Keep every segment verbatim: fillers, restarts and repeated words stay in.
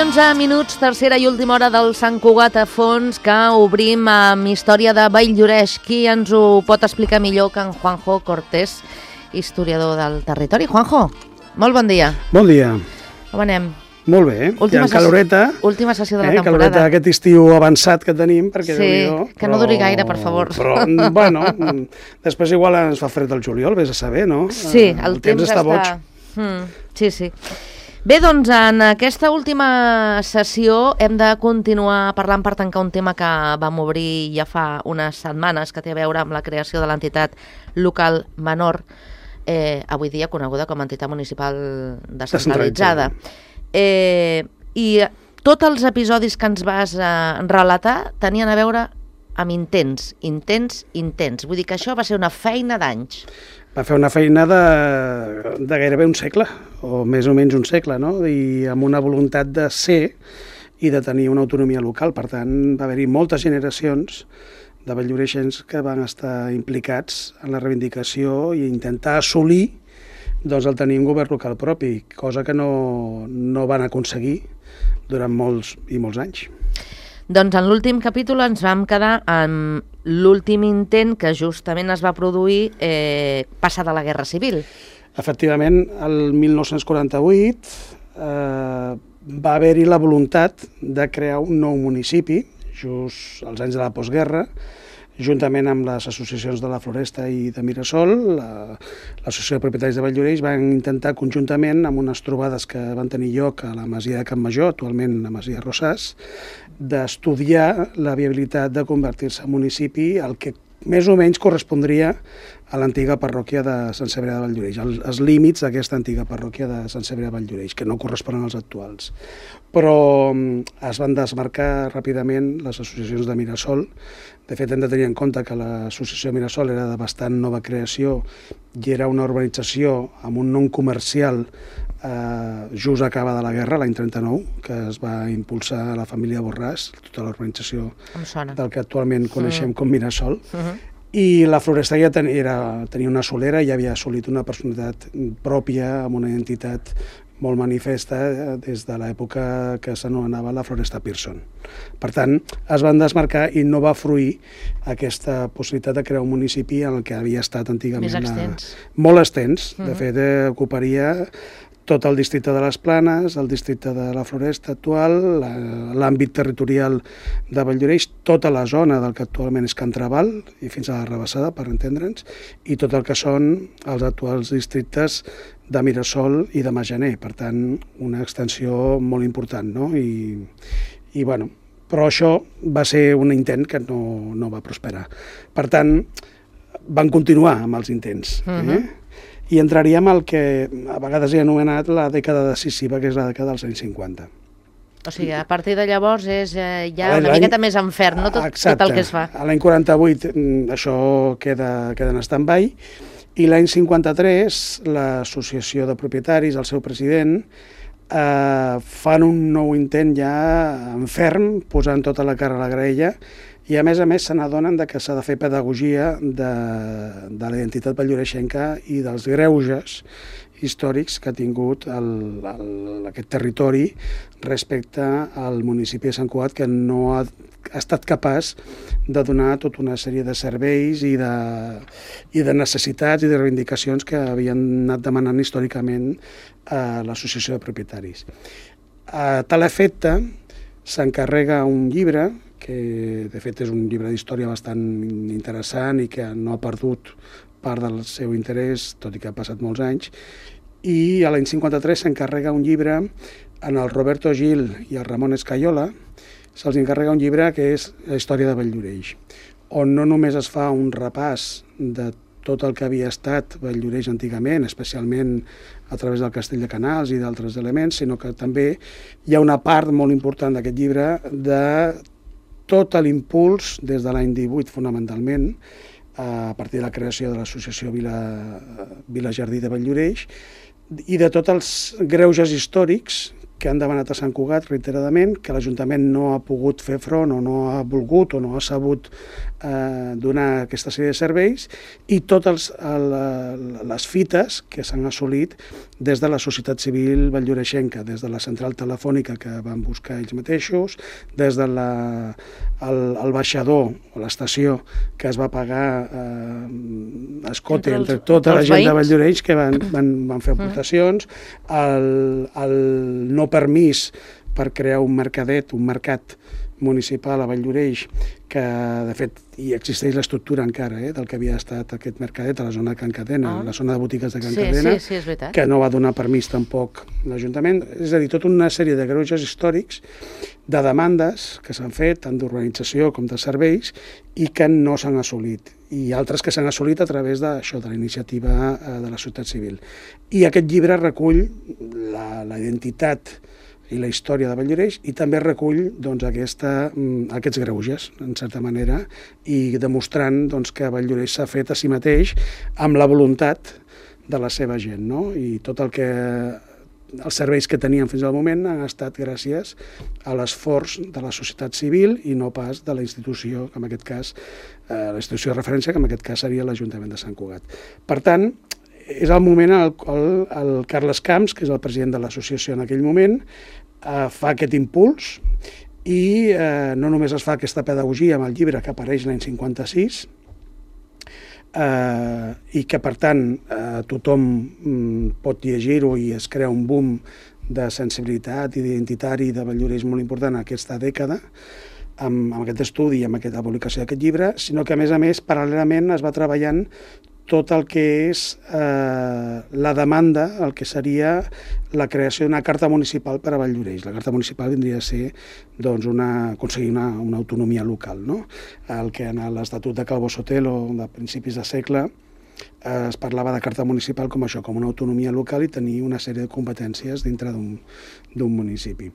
onze minuts, tercera i última hora del Sant Cugat a fons, que obrim amb història de Valldoreix. Qui ens ho pot explicar millor que en Juanjo Cortés, historiador del territori? Juanjo, molt bon dia. Bon dia. Com anem? Molt bé, Última hi ha caloreta. Última sessió de la eh, temporada. Caloreta aquest estiu avançat que tenim, perquè Sí, Déu-n'hi-do, que no duri gaire, per favor. Però, bueno, després igual ens fa fred el juliol, vés a saber, no? Sí, el, el temps, temps està boig. Mm, sí, sí. Bé, doncs, en aquesta última sessió hem de continuar parlant per tancar un tema que vam obrir ja fa unes setmanes, que té a veure amb la creació de l'entitat local menor, eh, avui dia coneguda com a entitat municipal descentralitzada. Eh, I tots els episodis que ens vas eh, relatar tenien a veure amb intents, intents, intents. Vull dir que això va ser una feina d'anys. Va fer una feina de, de gairebé un segle, o més o menys un segle, no? I amb una voluntat de ser i de tenir una autonomia local. Per tant, va haver-hi moltes generacions de valldoreixens que van estar implicats en la reivindicació i intentar assolir doncs, el tenir un govern local propi, cosa que no, no van aconseguir durant molts i molts anys. Doncs en l'últim capítol ens vam quedar amb l'últim intent que justament es va produir eh, passada la Guerra Civil. Efectivament, el mil nou-cents quaranta-vuit eh, va haver-hi la voluntat de crear un nou municipi, just als anys de la postguerra, juntament amb les associacions de la Floresta i de Mirasol, l'Associació de Propietaris de Valldoreix van intentar conjuntament, amb unes trobades que van tenir lloc a la masia de Campmajor, actualment la masia Rosàs, d'estudiar la viabilitat de convertir-se en municipi, el que més o menys correspondria a l'antiga parròquia de Sant Cebrià de Valldoreix, els límits d'aquesta antiga parròquia de Sant Cebrià de Valldoreix, que no corresponen als actuals. Però es van desmarcar ràpidament les associacions de Mirasol. De fet, hem de tenir en compte que l'associació de Mirasol era de bastant nova creació i era una urbanització amb un nom comercial eh, just acabada la guerra, l'any trenta-nou, que es va impulsar a la família Borràs, tota l'urbanització del que actualment coneixem mm. com Mirasol. Uh-huh. I la Floresta ja ten, era, tenia una solera i ja havia assolit una personalitat pròpia, amb una identitat molt manifesta des de l'època que s'anomenava la Floresta Pearson. Per tant, es van desmarcar i no va fruir aquesta possibilitat de crear un municipi en el que havia estat antigament... Més extens. A, molt extens. Uh-huh. De fet, eh, ocuparia tot el districte de les Planes, el districte de la Floresta actual, l'àmbit territorial de Valldoreix, tota la zona del que actualment és Can Trabal i fins a la Rabassada, per entendre'ns, i tot el que són els actuals districtes de Mirasol i de Majaner. Per tant, una extensió molt important, no? I, i bueno, però això va ser un intent que no, no va prosperar. Per tant, van continuar amb els intents. Uh-huh. eh? I entraríem al que a vegades he anomenat la dècada decisiva, que és la dècada dels anys cinquanta. O sigui, a partir de llavors és eh, ja una miqueta més enfern, no? Tot, tot el que es fa. A l'any quaranta-vuit això queda, queda en stand-by, i l'any cinquanta-tres l'associació de propietaris, el seu president, eh, fan un nou intent ja en ferm, posant tota la cara a la graella, i a més a més se n'adonen que s'ha de fer pedagogia de, de la identitat valldoreixenca i dels greuges històrics que ha tingut el, el, aquest territori respecte al municipi de Sant Cugat, que no ha, ha estat capaç de donar tota una sèrie de serveis i de, i de necessitats i de reivindicacions que havien anat demanant històricament a l'associació de propietaris. A tal efecte s'encarrega un llibre que de fet és un llibre d'història bastant interessant i que no ha perdut part del seu interès, tot i que ha passat molts anys, i a l'any cinquanta-tres s'encarrega un llibre en el Roberto Gil i el Ramon Escaiola, se'ls encarrega un llibre que és la història de Valldoreix, on no només es fa un repàs de tot el que havia estat Valldoreix antigament, especialment a través del Castell de Canals i d'altres elements, sinó que també hi ha una part molt important d'aquest llibre de tot l'impuls des de l'any divuit fonamentalment, a partir de la creació de l'associació Vila, Vila Jardí de Valldoreix, i de tots els greuges històrics que han demanat a Sant Cugat reiteradament, que l'Ajuntament no ha pogut fer front o no ha volgut o no ha sabut eh, donar aquesta sèrie de serveis i totes les fites que s'han assolit des de la societat civil valldoreixenca, des de la central telefònica que van buscar ells mateixos, des de la, el, el baixador o l'estació que es va pagar eh, escote entre, entre tota la gent veïns de Valldoreix que van, van, van fer aportacions, el, el no permís per crear un mercadet, un mercat municipal a Valldoreix, que de fet hi existeix l'estructura encara eh, del que havia estat aquest mercadet a la zona de Can Cadena, ah. la zona de botigues de Can sí, Cadena, sí, sí, és veritat. que no va donar permís tampoc l'Ajuntament. És a dir, tota una sèrie de greuges històrics, de demandes que s'han fet, tant d'urbanització com de serveis, i que no s'han assolit. I altres que s'han assolit a través d'això, de la iniciativa de la societat civil. I aquest llibre recull la, la identitat i la història de Valldoreix i també recull doncs, aquesta, aquests greuges, en certa manera, i demostrant doncs, que Valldoreix s'ha fet a si mateix amb la voluntat de la seva gent, no? I tot el que els serveis que teníem fins al moment han estat gràcies a l'esforç de la societat civil i no pas de la institució, que en aquest cas, eh, la institució de referència, que en aquest cas seria l'Ajuntament de Sant Cugat. Per tant, és el moment en el qual el Carles Camps, que és el president de l'associació en aquell moment, eh, fa aquest impuls i eh, no només es fa aquesta pedagogia amb el llibre que apareix l'any cinquanta-sis, eh, i que per tant eh, tothom mm, pot llegir-ho i es crea un boom de sensibilitat i d'identitari de Valldoreix molt important en aquesta dècada, amb, amb aquest estudi i amb aquesta publicació d'aquest llibre, sinó que a més a més paral·lelament es va treballant tot el que és eh, la demanda, el que seria la creació d'una carta municipal per a Valldoreix. La carta municipal vindria a ser doncs, una, aconseguir una, una autonomia local, no? El que en l'Estatut de Calvo Sotelo de principis de segle eh, es parlava de carta municipal com això, com una autonomia local i tenir una sèrie de competències dintre d'un municipi.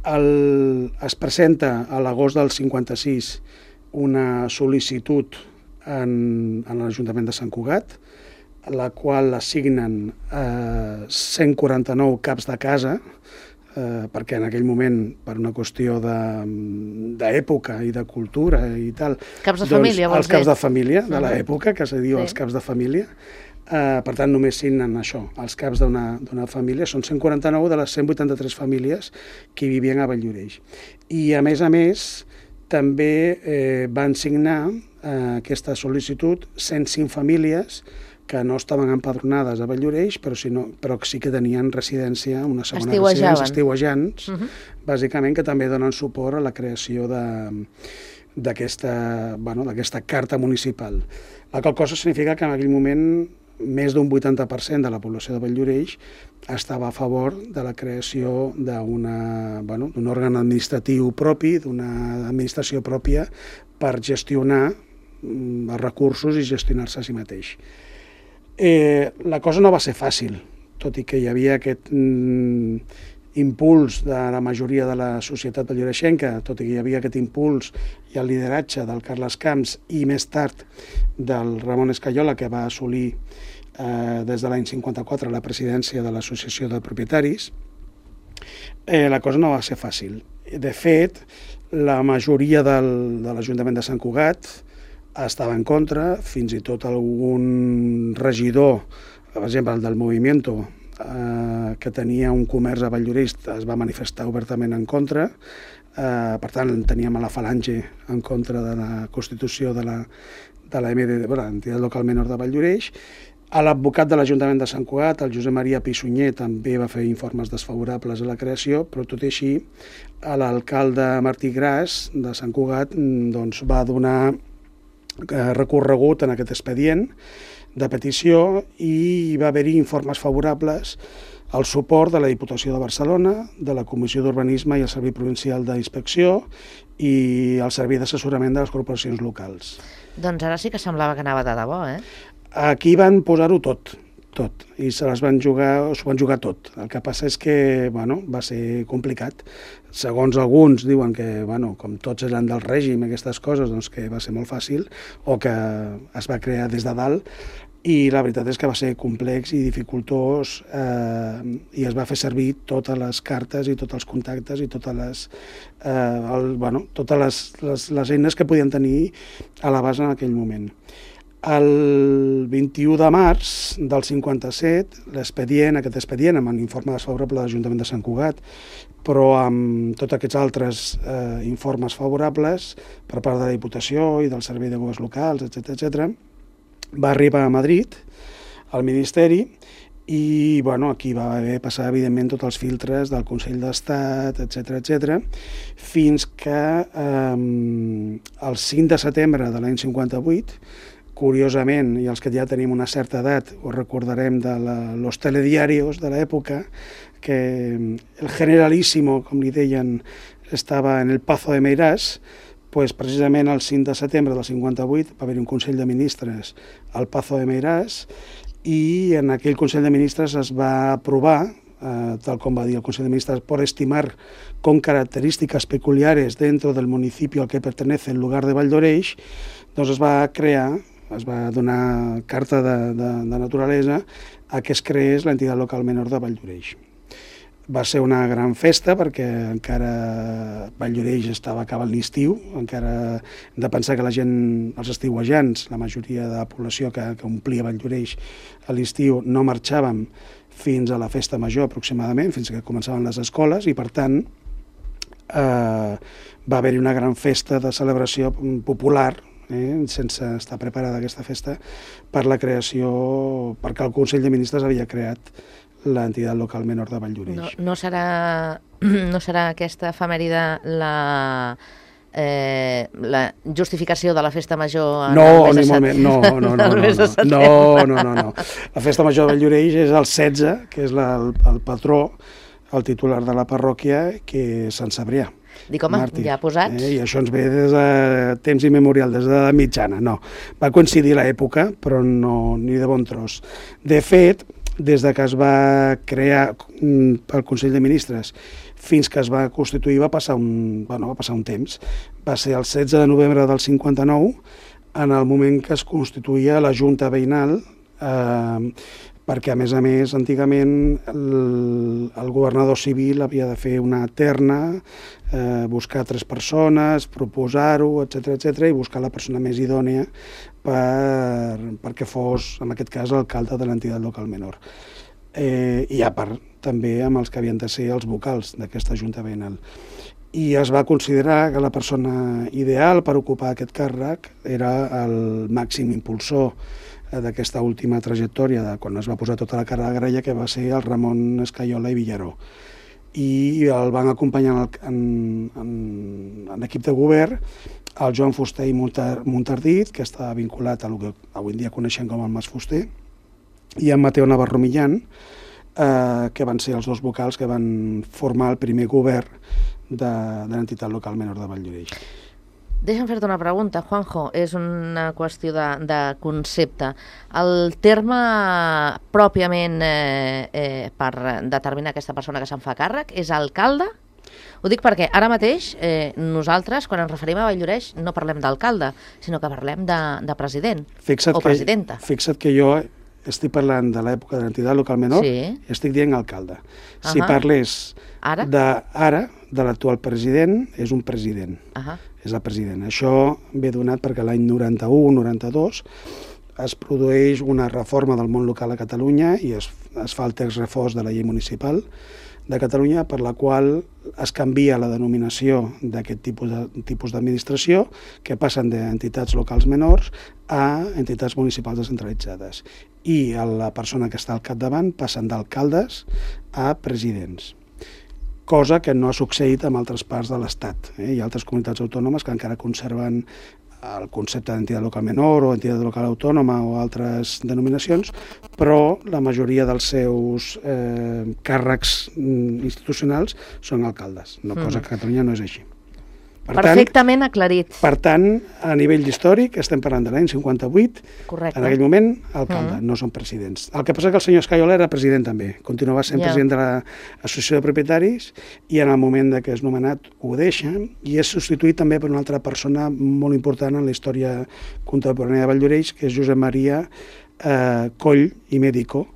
El, es presenta a l'agost del cinquanta-sis una sol·licitud en, en l'Ajuntament de Sant Cugat, la qual assignen eh, cent quaranta-nou caps de casa, eh, perquè en aquell moment, per una qüestió d'època i de cultura i tal... Caps de doncs, família, vols dir? Els caps dir? de família de l'època, que se diu sí. els caps de família. Eh, per tant, només signen això, els caps d'una família. Són cent quaranta-nou de les cent vuitanta-tres famílies que vivien a Valldoreix. I, a més a més, també eh, van signar eh, aquesta sol·licitud cent cinc famílies que no estaven empadronades a Valldoreix, però, si no, però sí que tenien residència, una segona residència, estiuejants, uh -huh. bàsicament, que també donen suport a la creació d'aquesta bueno, d'aquesta carta municipal. La qual cosa significa que en aquell moment més d'un vuitanta per cent de la població de Valldoreix estava a favor de la creació d'un bueno, òrgan administratiu propi, d'una administració pròpia per gestionar els recursos i gestionar-se a si mateix. Eh, la cosa no va ser fàcil, tot i que hi havia aquest mm, impuls de la majoria de la societat valldoreixenca, tot i que hi havia aquest impuls i el lideratge del Carles Camps i més tard del Ramon Escayola, que va assolir eh, des de l'any cinquanta-quatre la presidència de l'Associació de Propietaris, eh, la cosa no va ser fàcil. De fet, la majoria del, de l'Ajuntament de Sant Cugat estava en contra, fins i tot algun regidor, per exemple el del Movimiento, eh, que tenia un comerç a Valldoreix, es va manifestar obertament en contra. Eh, per tant, teníem a la Falange en contra de la constitució de la, de la M D D, bueno, l'entitat local menor de Valldoreix. L'advocat de l'Ajuntament de Sant Cugat, el Josep Maria Pissunyer, també va fer informes desfavorables a la creació, però tot i així, l'alcalde Martí Gras de Sant Cugat doncs, va donar recorregut en aquest expedient de petició i va haver-hi informes favorables al suport de la Diputació de Barcelona, de la Comissió d'Urbanisme i el Servei Provincial d'Inspecció i el Servei d'Assessorament de les Corporacions Locals. Doncs ara sí que semblava que anava de debò, eh? Aquí van posar-ho tot, tot, i se les van jugar, s'ho van jugar tot. El que passa és que, bueno, va ser complicat. Segons alguns diuen que, bueno, com tots eren del règim, aquestes coses, doncs que va ser molt fàcil, o que es va crear des de dalt. i la veritat és que va ser complex i dificultós eh, i es va fer servir totes les cartes i tots els contactes i totes les, eh, el, bueno, totes les, les, les eines que podien tenir a l'abast en aquell moment. El vint-i-u de març del cinquanta-set, l'expedient, aquest expedient, amb l'informe desfavorable de l'Ajuntament de Sant Cugat, però amb tots aquests altres eh, informes favorables per part de la Diputació i del Servei de Governs Locals, etcètera, etcètera, va arribar a Madrid, al Ministeri, i bueno, aquí va haver passar, evidentment, tots els filtres del Consell d'Estat, etcètera, etcètera, fins que eh, el cinc de setembre de l'any cinquanta-vuit, curiosament, i els que ja tenim una certa edat, ho recordarem de la, los telediarios de l'època, que el generalíssimo, com li deien, estava en el Pazo de Meirás, pues precisament el cinc de setembre del cinquanta-vuit va haver un Consell de Ministres al Pazo de Meirás i en aquell Consell de Ministres es va aprovar, eh, tal com va dir el Consell de Ministres, por estimar con características peculiares dentro del municipio al que pertenece el lugar de Valldoreix, doncs es va crear, es va donar carta de, de, de naturalesa a que es creés l'entitat local menor de Valldoreix. Va ser una gran festa perquè encara Valldoreix estava acabant l'estiu, encara hem de pensar que la gent, els estiuejants, la majoria de la població que, que omplia Valldoreix a l'estiu no marxàvem fins a la festa major aproximadament, fins que començaven les escoles i per tant eh, va haver-hi una gran festa de celebració popular, eh, sense estar preparada aquesta festa, per la creació, perquè el Consell de Ministres havia creat l'entitat local menor de Valldoreix. No, no, serà, no serà aquesta efemèride la, eh, la justificació de la festa major en no, el mes de setembre? No, no, no, no, no, no, no, no, no. La festa major de Valldoreix és el setze, que és la, el, el patró, el titular de la parròquia, que és Sant Cebrià. Dic, home, Màrtir. ja posats. Eh, I això ens ve des de temps immemorial, des de la mitjana, no. Va coincidir l'època, però no, ni de bon tros. De fet, des de que es va crear pel Consell de Ministres fins que es va constituir va passar un, bueno, va passar un temps. Va ser el setze de novembre del cinquanta-nou, en el moment que es constituïa la Junta Veïnal, eh, perquè, a més a més, antigament el, el governador civil havia de fer una terna, eh, buscar tres persones, proposar-ho, etcètera, etcètera, i buscar la persona més idònia per, perquè fos, en aquest cas, l'alcalde de l'entitat local menor. Eh, I a part, també amb els que havien de ser els vocals d'aquesta Junta Veïnal. I es va considerar que la persona ideal per ocupar aquest càrrec era el màxim impulsor d'aquesta última trajectòria, de quan es va posar tota la cara de gralla, que va ser el Ramon Escaiola i Villaró. I el van acompanyar en, en, en l'equip de govern el Joan Fuster i Montardit, que està vinculat a el que avui en dia coneixem com el Mas Fuster, i en Mateo Navarro Millán, eh, que van ser els dos vocals que van formar el primer govern de, de l'entitat local menor de Valldoreix. Deixa'm fer-te una pregunta, Juanjo, és una qüestió de, de concepte. El terme pròpiament eh, eh, per determinar aquesta persona que se'n fa càrrec és alcalde? Ho dic perquè ara mateix eh, nosaltres, quan ens referim a Valldoreix, no parlem d'alcalde, sinó que parlem de, de president fixa't o presidenta. Que, fixa't que jo estic parlant de l'època de l'entitat local menor sí. i estic dient alcalde. Uh-huh. Si parlés ara, de, ara, de l'actual president, és un president. Uh-huh. És el president. Això ve donat perquè l'any noranta-u noranta-dos es produeix una reforma del món local a Catalunya i es, es fa el text refós de la llei municipal de Catalunya, per la qual es canvia la denominació d'aquest tipus de, tipus d'administració, que passen d'entitats locals menors a entitats municipals descentralitzades. I la persona que està al capdavant passen d'alcaldes a presidents, cosa que no ha succeït en altres parts de l'Estat. Eh? Hi ha altres comunitats autònomes que encara conserven el concepte d'entitat local menor o entitat local autònoma o altres denominacions, però la majoria dels seus eh, càrrecs institucionals són alcaldes, una cosa que a Catalunya no és així. Per Perfectament tant, aclarit. Per tant, a nivell històric, estem parlant de l'any cinquanta-vuit, correcte. En aquell moment, alcalde, mm. no són presidents. El que passa que el senyor Escaiola era president també, continuava sent yeah. president de l'Associació de Propietaris i en el moment de que és nomenat ho deixa i és substituït també per una altra persona molt important en la història contemporània de Valldoreix, que és Josep Maria eh, Coll i Médico,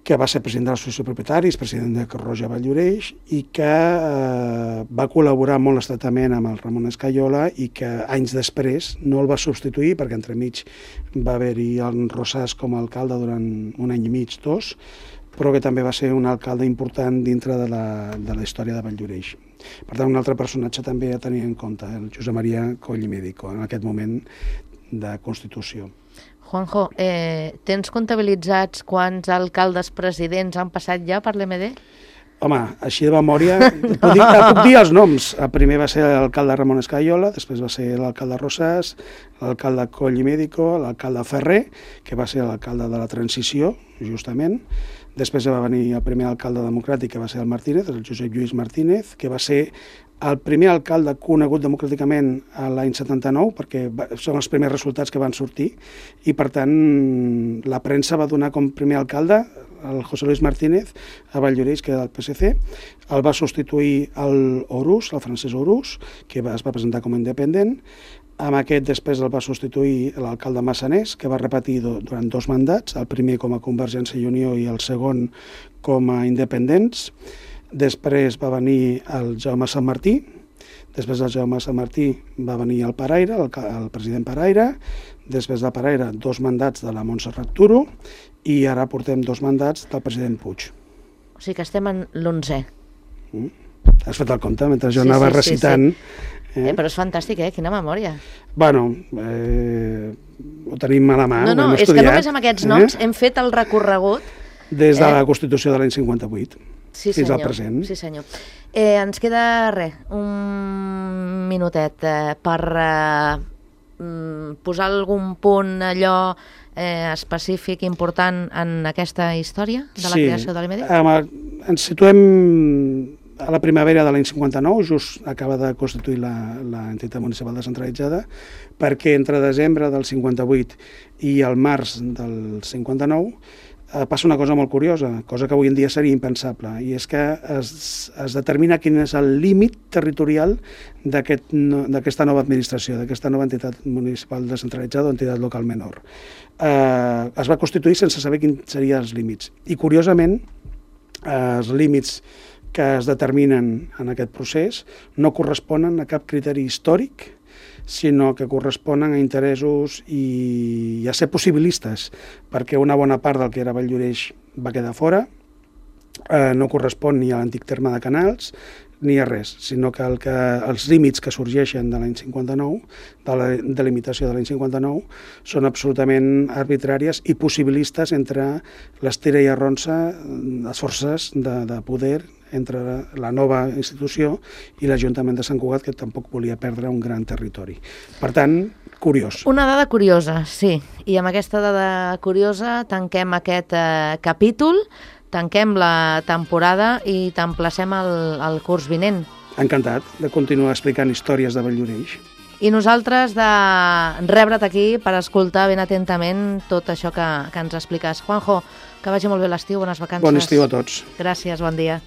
que va ser president de l'Associació de Propietaris, president de Creu Roja Valldoreix, i que eh, va col·laborar molt estretament amb el Ramon Escaiola i que anys després no el va substituir perquè entremig va haver-hi el Rosàs com a alcalde durant un any i mig, dos, però que també va ser un alcalde important dintre de la, de la història de Valldoreix. Per tant, un altre personatge també a tenir en compte, el Josep Maria Coll i Médico, en aquest moment de Constitució. Juanjo, eh, tens comptabilitzats quants alcaldes presidents han passat ja per l'M D? Home, així de memòria, puc dir, puc dir els noms. El primer va ser l'alcalde Ramon Escaiola, després va ser l'alcalde Rosàs, l'alcalde Coll i Médico, l'alcalde Ferrer, que va ser l'alcalde de la transició, justament. Després va venir el primer alcalde democràtic, que va ser el Martínez, el Josep Lluís Martínez, que va ser el primer alcalde conegut democràticament l'any setanta-nou, perquè són els primers resultats que van sortir, i per tant la premsa va donar com primer alcalde el José Luis Martínez a Valldoreix, que era del P S C, el va substituir el Orús, el Francesc Orús, que es va presentar com a independent. Amb aquest després el va substituir l'alcalde Massanés, que va repetir durant dos mandats, el primer com a Convergència i Unió i el segon com a independents. Després va venir el Jaume Sant Martí, després del Jaume Sant Martí va venir el Paraire, el, el president Paraire, després de Paraire dos mandats de la Montserrat Turo i ara portem dos mandats del president Puig. O sigui que estem en l'onzè. Mm. Has fet el compte mentre jo sí, anava sí, recitant. Sí, sí. Eh? Eh, però és fantàstic, eh? Quina memòria. Bueno, eh, ho tenim a la mà, no, no, ho hem és estudiat. que només amb aquests noms eh? hem fet el recorregut. Des de eh? la Constitució de l'any cinquanta-vuit. Sí, fins senyor. al present. Sí, senyor. Eh, ens queda, res, un minutet eh, per eh, posar algun punt allò eh, específic, important en aquesta història de la sí. creació de l'M D? Sí, ens situem a la primavera de l'any cinquanta-nou, just acaba de constituir l'entitat municipal descentralitzada, perquè entre desembre del cinquanta-vuit i el març del cinquanta-nou passa una cosa molt curiosa, cosa que avui en dia seria impensable, i és que es, es determina quin és el límit territorial d'aquesta aquest, nova administració, d'aquesta nova entitat municipal descentralitzada o entitat local menor. Eh, es va constituir sense saber quins serien els límits. I, curiosament, eh, els límits que es determinen en aquest procés no corresponen a cap criteri històric, sinó que corresponen a interessos i a ser possibilistes, perquè una bona part del que era Valldoreix va quedar fora, eh, no correspon ni a l'antic terme de Canals, ni a res, sinó que, el que els límits que sorgeixen de l'any cinquanta-nou, de la delimitació de l'any cinquanta-nou, són absolutament arbitràries i possibilistes entre l'estira i arronsa, les forces de, de poder entre la nova institució i l'Ajuntament de Sant Cugat, que tampoc volia perdre un gran territori. Per tant, curiós. Una dada curiosa, sí. I amb aquesta dada curiosa tanquem aquest eh, capítol, tanquem la temporada i t'emplacem al, al curs vinent. Encantat de continuar explicant històries de Valldoreix. I nosaltres de rebre't aquí per escoltar ben atentament tot això que, que ens expliques. Juanjo, que vagi molt bé l'estiu, bones vacances. Bon estiu a tots. Gràcies, bon dia.